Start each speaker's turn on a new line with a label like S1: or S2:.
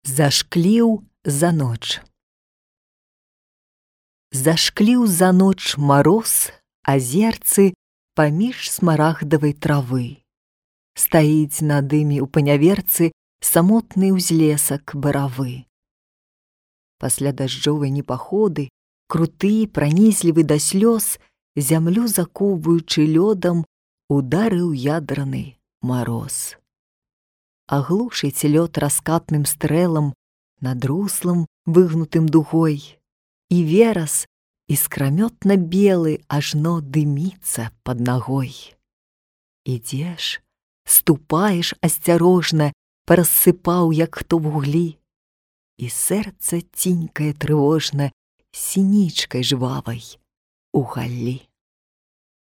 S1: Зашкліў за ноч. Зашкліў за ноч мароз азерцы паміж смарагдавай травы. Стаіць на дыме ў паняверцы самотны ўзлесак баравы. Пасля дажджовай непаходы, круты, пранізлівы да слёз, зямлю закоўваючы лёдам, ударыў ядраны мароз. Аглушыць лёд раскатным стрэлам над руслам, выгнутым дугой, і верас іскрамётна белы ажно дыміцца пад нагой. Ідзеш, ступаеш асцярожна, парассыпаў, як хто вуглі, і сэрца цінькае трывожна сінічкай жвавай у галлі.